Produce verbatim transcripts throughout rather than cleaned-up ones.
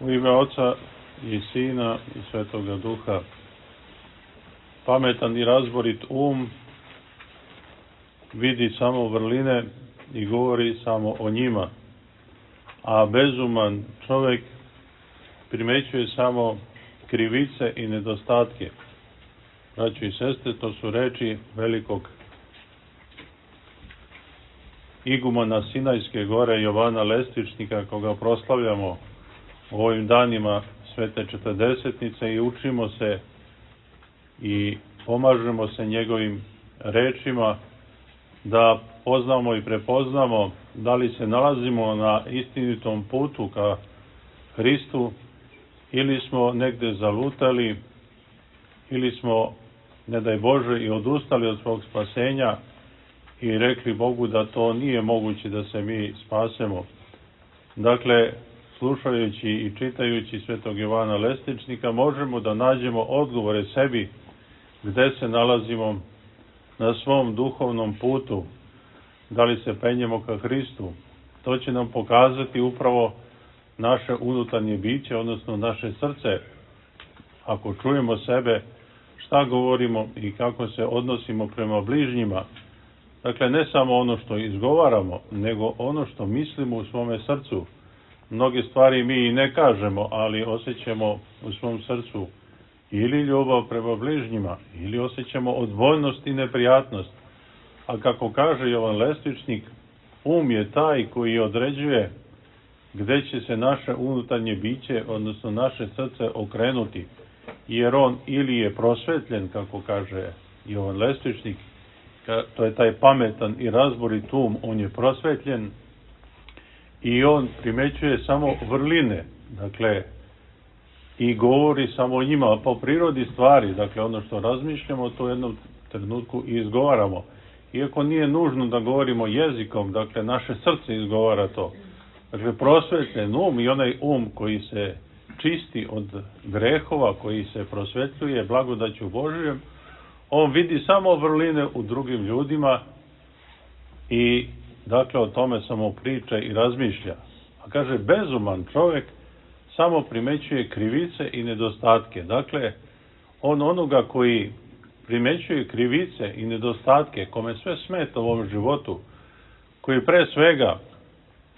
U ime Oca i Sina i Svetoga Duha. Pametan i razborit um vidi samo vrline i govori samo o njima, a bezuman čovjek primećuje samo krivice i nedostatke. Braćo i sestre, to su reči velikog igumana Sinajske gore Jovana Lestičnika, koga proslavljamo u ovim danima Svete Četrdesetnice i učimo se i pomažemo se njegovim rečima da poznamo i prepoznamo da li se nalazimo na istinitom putu ka Hristu ili smo negde zalutali ili smo, ne daj Bože, i odustali od svog spasenja i rekli Bogu da to nije moguće da se mi spasemo. Dakle, slušajući i čitajući Svetog Jovana Lestičnika, možemo da nađemo odgovore sebi gde se nalazimo na svom duhovnom putu, da li se penjemo ka Hristu. To će nam pokazati upravo naše unutarnje biće, odnosno naše srce. Ako čujemo sebe, šta govorimo i kako se odnosimo prema bližnjima. Dakle, ne samo ono što izgovaramo, nego ono što mislimo u svome srcu. Mnoge stvari mi i ne kažemo, ali osjećamo u svom srcu ili ljubav prema bližnjima, ili osjećamo odbojnost i neprijatnost. A kako kaže Jovan Lestičnik, um je taj koji određuje gde će se naše unutarnje biće, odnosno naše srce, okrenuti. Jer on ili je prosvetljen, kako kaže Jovan Lestičnik, to je taj pametan i razborit um, on je prosvetljen i on primećuje samo vrline, dakle, i govori samo o njima po prirodi stvari, dakle, ono što razmišljamo, to u jednom trenutku i izgovaramo. Iako nije nužno da govorimo jezikom, dakle, naše srce izgovara to. Dakle, prosvetljen um i onaj um koji se čisti od grehova, koji se prosvetljuje blagodaću Božijom, on vidi samo vrline u drugim ljudima i, dakle, o tome samo priča i razmišlja. A kaže, bezuman čovjek samo primećuje krivice i nedostatke. Dakle, on onoga koji primećuje krivice i nedostatke, kome sve smeta u ovom životu, koji pre svega,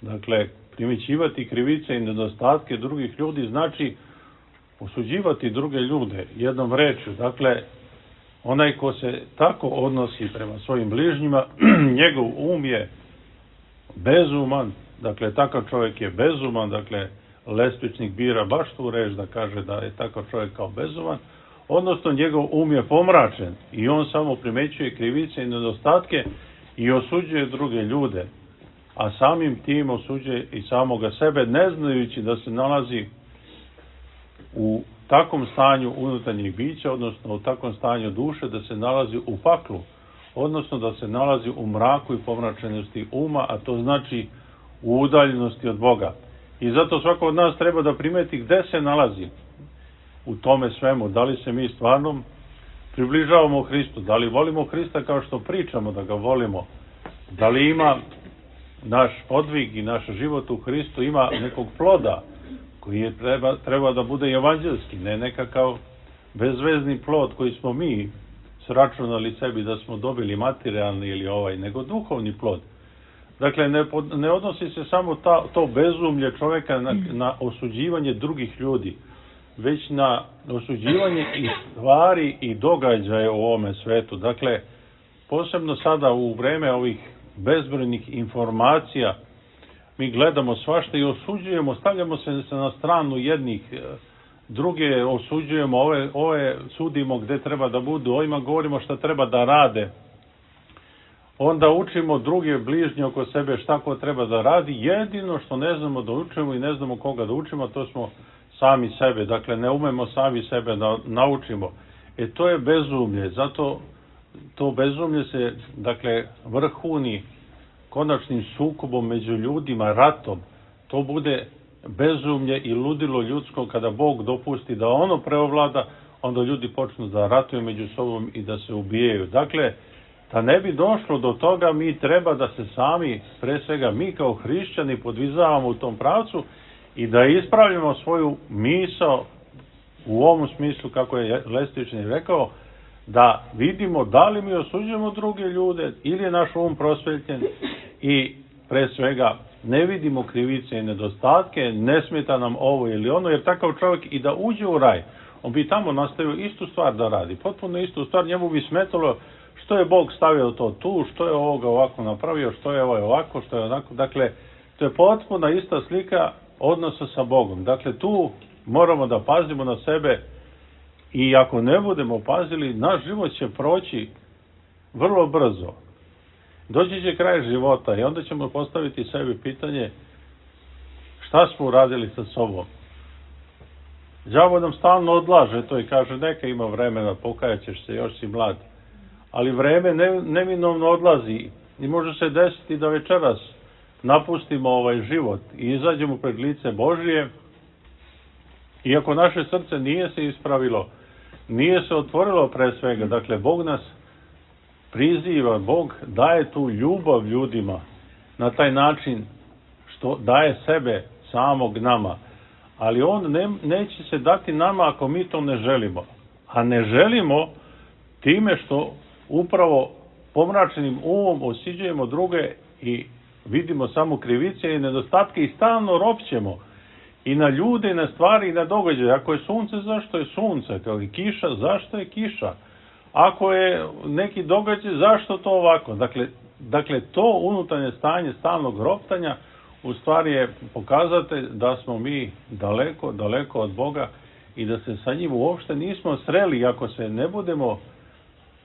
dakle, primećivati krivice i nedostatke drugih ljudi znači osuđivati druge ljude jednom rečju. Dakle, onaj ko se tako odnosi prema svojim bližnjima, njegov um je bezuman, dakle, takav čovjek je bezuman, dakle, Lestičnik bira baš tu reč da kaže da je takav čovjek kao bezuman, odnosno njegov um je pomračen i on samo primećuje krivice i nedostatke i osuđuje druge ljude, a samim tim osuđuje i samoga sebe, ne znajući da se nalazi u takvom stanju unutarnjih bića, odnosno u takvom stanju duše, da se nalazi u paklu, odnosno da se nalazi u mraku i pomračenosti uma, a to znači u udaljenosti od Boga. I zato svako od nas treba da primeti gde se nalazi u tome svemu, da li se mi stvarno približavamo Hristu, da li volimo Hrista kao što pričamo da ga volimo, da li ima naš podvig i naš život u Hristu ima nekog ploda koji je treba, treba da bude evanđelski, ne nekakav bezvezni plod koji smo mi sračunali sebi da smo dobili materijalni ili ovaj, nego duhovni plod. Dakle, ne, ne odnosi se samo ta, to bezumlje čovjeka na, na osuđivanje drugih ljudi, već na osuđivanje i stvari i događaje u ovome svetu. Dakle, posebno sada u vreme ovih bezbrojnih informacija mi gledamo svašta i osuđujemo, stavljamo se na stranu jednih, druge osuđujemo, ove, ove sudimo gde treba da budu, ovima govorimo šta treba da rade. Onda učimo druge bližnje oko sebe šta ko treba da radi. Jedino što ne znamo da učimo i ne znamo koga da učimo, to smo sami sebe. Dakle, ne umemo sami sebe da naučimo. E, to je bezumlje. Zato to bezumlje se, dakle, vrhuni konačnim sukobom među ljudima, ratom. To bude bezumlje i ludilo ljudsko kada Bog dopusti da ono preovlada, onda ljudi počnu da ratuju među sobom i da se ubijaju. Dakle, da ne bi došlo do toga, mi treba da se sami, pre svega mi kao hrišćani, podvizavamo u tom pravcu i da ispravljamo svoju misao u ovom smislu, kako je Lestični rekao, da vidimo da li mi osuđujemo druge ljude ili je naš um prosvetljen i pre svega ne vidimo krivice i nedostatke, ne smeta nam ovo ili ono, jer takav čovjek i da uđe u raj, on bi tamo nastavio istu stvar da radi, potpuno istu stvar, njemu bi smetalo što je Bog stavio to tu, što je ovoga ovako napravio, što je ovaj ovako, što je onako, dakle, to je potpuno ista slika odnosa sa Bogom. Dakle, tu moramo da pazimo na sebe i ako ne budemo pazili, naš život će proći vrlo brzo. Doći će kraj života i onda ćemo postaviti sebi pitanje šta smo uradili sa sobom. Đavo nam stalno odlaže to i kaže neka ima vremena, pokajat ćeš se, još si mlad. Ali vreme ne, neminovno odlazi i može se desiti da večeras napustimo ovaj život i izađemo pred lice Božije. Iako naše srce nije se ispravilo, nije se otvorilo pre svega, dakle Bog nas priziva, Bog daje tu ljubav ljudima na taj način što daje sebe samog nama, ali on ne, neće se dati nama ako mi to ne želimo, a ne želimo time što upravo pomračenim umom osuđujemo druge i vidimo samo krivice i nedostatke i stalno ropćemo i na ljude, i na stvari, i na događaje. Ako je sunce, zašto je sunce? Kao i kiša, zašto je kiša? Ako je neki događaj, zašto to ovako? Dakle, dakle to unutarnje stanje stalnog roptanja u stvari je pokazatelj da smo mi daleko, daleko od Boga i da se sa njim uopšte nismo sreli. Ako se ne budemo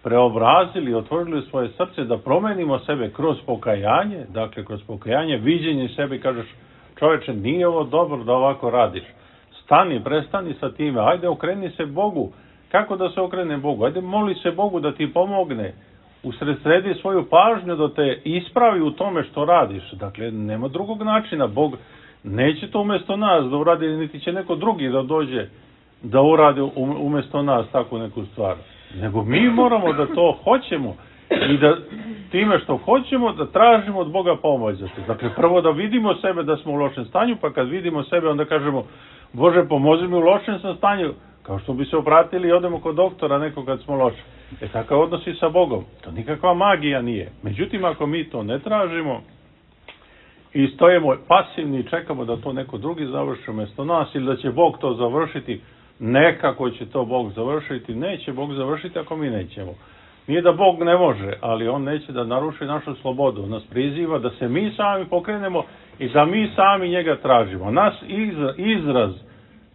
preobrazili, otvorili svoje srce, da promenimo sebe kroz pokajanje, dakle kroz pokajanje, viđenje sebe, kažeš čoveče, nije ovo dobro da ovako radiš. Stani, prestani sa time, ajde okreni se Bogu. Kako da se okrene Bogu? Ajde moli se Bogu da ti pomogne. Usredsredi svoju pažnju da te ispravi u tome što radiš. Dakle, nema drugog načina. Bog neće to umjesto nas da uradi, niti će neko drugi da dođe da uradi umjesto nas takvu neku stvar. Nego mi moramo da to hoćemo i da time što hoćemo da tražimo od Boga pomoć za to. Dakle, prvo da vidimo sebe da smo u lošem stanju, pa kad vidimo sebe onda kažemo Bože, pomozi mi u lošem sam stanju, kao što bi se obratili i odemo kod doktora neko kad smo loši. E takav odnos i sa Bogom. To nikakva magija nije. Međutim, ako mi to ne tražimo i stojimo pasivni i čekamo da to neko drugi završi umjesto nas ili da će Bog to završiti, nekako će to Bog završiti, neće Bog završiti ako mi nećemo. Nije da Bog ne može, ali On neće da naruši našu slobodu. On nas priziva da se mi sami pokrenemo i da mi sami njega tražimo. Nas izraz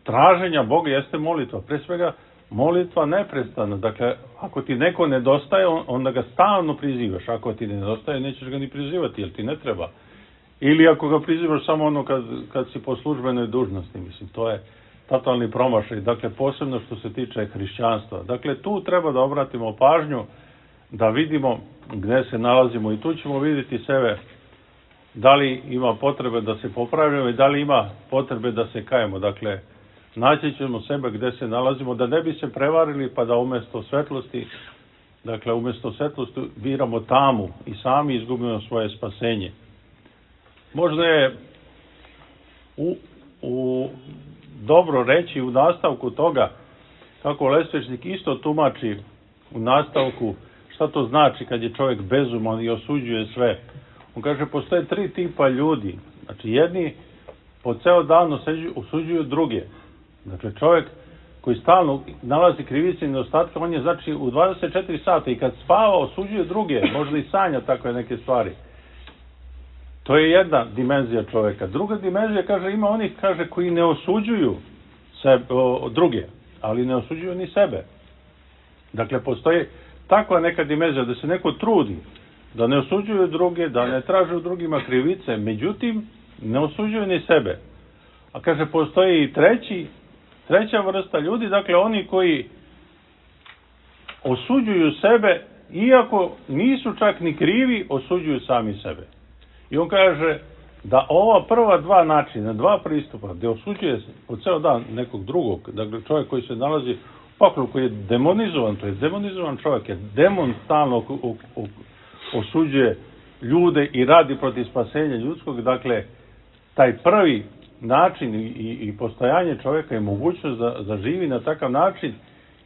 traženja Boga jeste molitva. Pre svega molitva neprestana. Dakle, ako ti neko nedostaje, onda ga stalno prizivaš. Ako ti nedostaje, nećeš ga ni prizivati, jer ti ne treba. Ili ako ga prizivaš samo ono kad, kad si po službenoj dužnosti. Mislim, to je totalni promašaj. Dakle, posebno što se tiče hrišćanstva. Dakle, tu treba da obratimo pažnju, da vidimo gde se nalazimo i tu ćemo vidjeti sebe da li ima potrebe da se popravimo i da li ima potrebe da se kajemo. Dakle, naći ćemo sebe gde se nalazimo, da ne bi se prevarili pa da umjesto svetlosti, dakle umjesto svetlosti biramo tamu i sami izgubimo svoje spasenje. Možda je u, u dobro reći u nastavku toga, kako Lesvečnik isto tumači u nastavku šta to znači kad je čovjek bezuman i osuđuje sve. On kaže, postoje tri tipa ljudi. Znači, jedni po ceo dan osuđuju druge. Dakle, čovjek koji stalno nalazi krivice i nedostatke, on je znači u dvadeset četiri sata i kad spava osuđuje druge, možda i sanja takve neke stvari. To je jedna dimenzija čovjeka. Druga dimenzija, kaže, ima onih, kaže, koji ne osuđuju sebe, o, druge, ali ne osuđuju ni sebe. Dakle, postoji takva neka dimenzija da se neko trudi, da ne osuđuju druge, da ne traže u drugima krivice, međutim, ne osuđuju ni sebe. A kaže, postoji i treći, treća vrsta ljudi, dakle, oni koji osuđuju sebe, iako nisu čak ni krivi, osuđuju sami sebe. I on kaže da ova prva dva načina, dva pristupa, gde osuđuje se po ceo dan nekog drugog, dakle čovjek koji se nalazi u paklu, koji je demonizovan, to je demonizovan čovjek, je demon stalno osuđuje ljude i radi protiv spasenja ljudskog, dakle taj prvi način i, i, i postojanje čovjeka je mogućnost da, da živi na takav način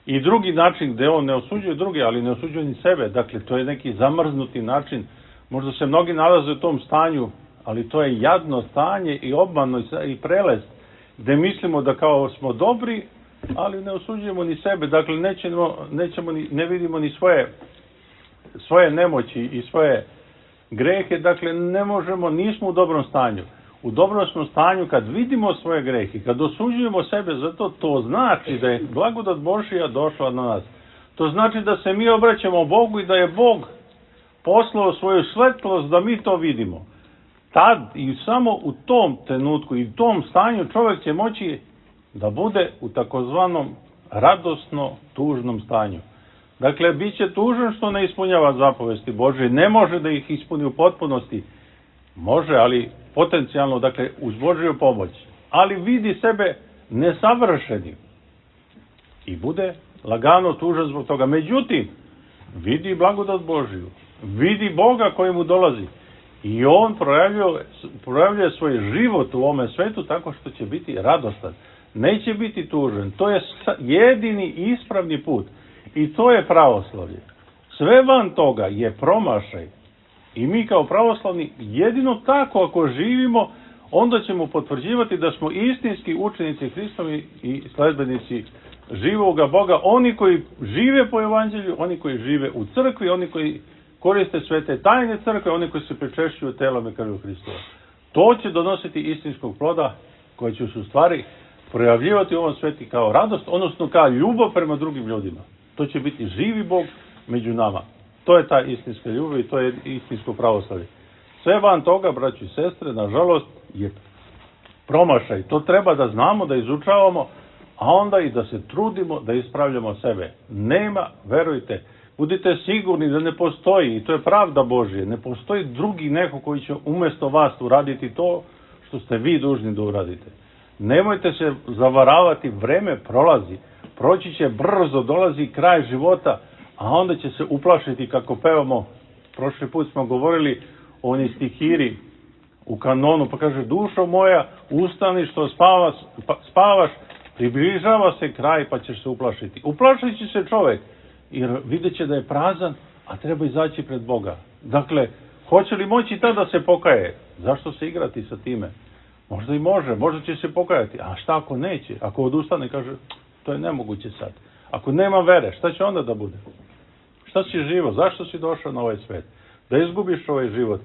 i drugi način gdje on ne osuđuje druge, ali ne osuđuje ni sebe. Dakle, to je neki zamrznuti način. Možda se mnogi nalaze u tom stanju, ali to je jadno stanje i obmano i prelest, gdje mislimo da kao smo dobri, ali ne osuđujemo ni sebe. Dakle, nećemo, nećemo ni, ne vidimo ni svoje, svoje nemoći i svoje grehe. Dakle, ne možemo, nismo u dobrom stanju. U dobrom smo stanju kad vidimo svoje grehe, kad osuđujemo sebe, zato to znači da je blagodat Božja došla na nas. To znači da se mi obraćamo Bogu i da je Bog poslao svoju svetlost da mi to vidimo. Tad i samo u tom trenutku i u tom stanju čovjek će moći da bude u takozvanom radosno tužnom stanju. Dakle, bit će tužan što ne ispunjava zapovesti Božje, ne može da ih ispuni u potpunosti. Može, ali potencijalno, dakle, uz Božju pomoć. Ali vidi sebe nesavršenim. I bude lagano tužan zbog toga. Međutim, vidi blagodat Božju. Vidi Boga koji mu dolazi. I on projavljuje, projavljuje svoj život u ovome svetu tako što će biti radostan. Neće biti tužan. To je jedini ispravni put. I to je pravoslavlje. Sve van toga je promašaj. I mi kao pravoslavni jedino tako ako živimo, onda ćemo potvrđivati da smo istinski učenici Hristovi i sledbenici živoga Boga. Oni koji žive po evanđelju, oni koji žive u crkvi, oni koji koriste svete tajne crkve, oni koji se pričešćuju telom i krvlju Hristova. To će donositi istinskog ploda koji će se u stvari projavljivati u ovom sveti kao radost, odnosno kao ljubav prema drugim ljudima. To će biti živi Bog među nama. To je ta istinska ljubav i to je istinsko pravoslavlje. Sve van toga, braći i sestre, nažalost, je promašaj. To treba da znamo, da izučavamo, a onda i da se trudimo da ispravljamo sebe. Nema, verujte, budite sigurni da ne postoji, i to je pravda Božje, ne postoji drugi neko koji će umjesto vas uraditi to što ste vi dužni da uradite. Nemojte se zavaravati, vreme prolazi, proći će brzo, dolazi kraj života, a onda će se uplašiti kako pevamo. Prošli put smo govorili o onoj stihiri u kanonu, pa kaže: dušo moja, ustani što spavaš, pa, spavaš, približava se kraj pa ćeš se uplašiti. Uplašit će se čovjek, jer vidjet će da je prazan, a treba izaći pred Boga. Dakle, hoće li moći tada da se pokaje? Zašto se igrati sa time? Možda i može, možda će se pokajati. A šta ako neće? Ako odustane, kaže, to je nemoguće sad. Ako nema vere, šta će onda da bude? Šta si živo? Zašto si došao na ovaj svet? Da izgubiš ovaj život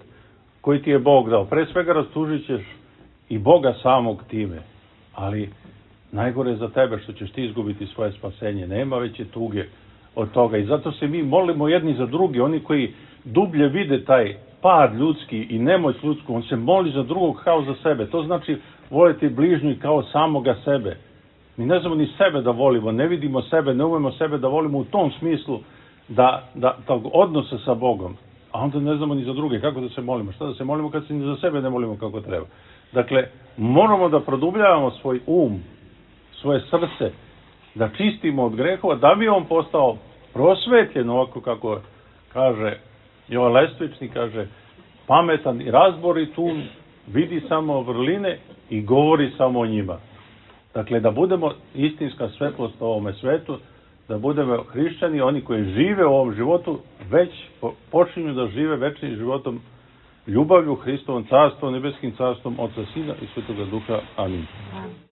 koji ti je Bog dao. Pre svega rastužit ćeš i Boga samog time. Ali najgore je za tebe što ćeš ti izgubiti svoje spasenje. Nema veće tuge od toga. I zato se mi molimo jedni za drugi. Oni koji dublje vide taj pad ljudski i nemoć ljudsku, on se moli za drugog kao za sebe. To znači voliti bližnju kao samoga sebe. Mi ne znamo ni sebe da volimo, ne vidimo sebe, ne umemo sebe da volimo u tom smislu da, da tog odnosa sa Bogom. A onda ne znamo ni za druge kako da se molimo. Šta da se molimo kad se ni za sebe ne molimo kako treba. Dakle, moramo da produbljavamo svoj um, svoje srce, da čistimo od grehova, da bi on postao prosvetljen, ovako kako kaže Jovan Lestvični, kaže, pametan i razborit um, vidi samo vrline i govori samo o njima. Dakle, da budemo istinska svetlost u ovome svetu, da budemo hrišćani, oni koji žive u ovom životu, već počinju da žive večnim životom, ljubavlju Hristovom carstvom, nebeskim carstvom, Oca, Sina i Svetoga Duha. Amin.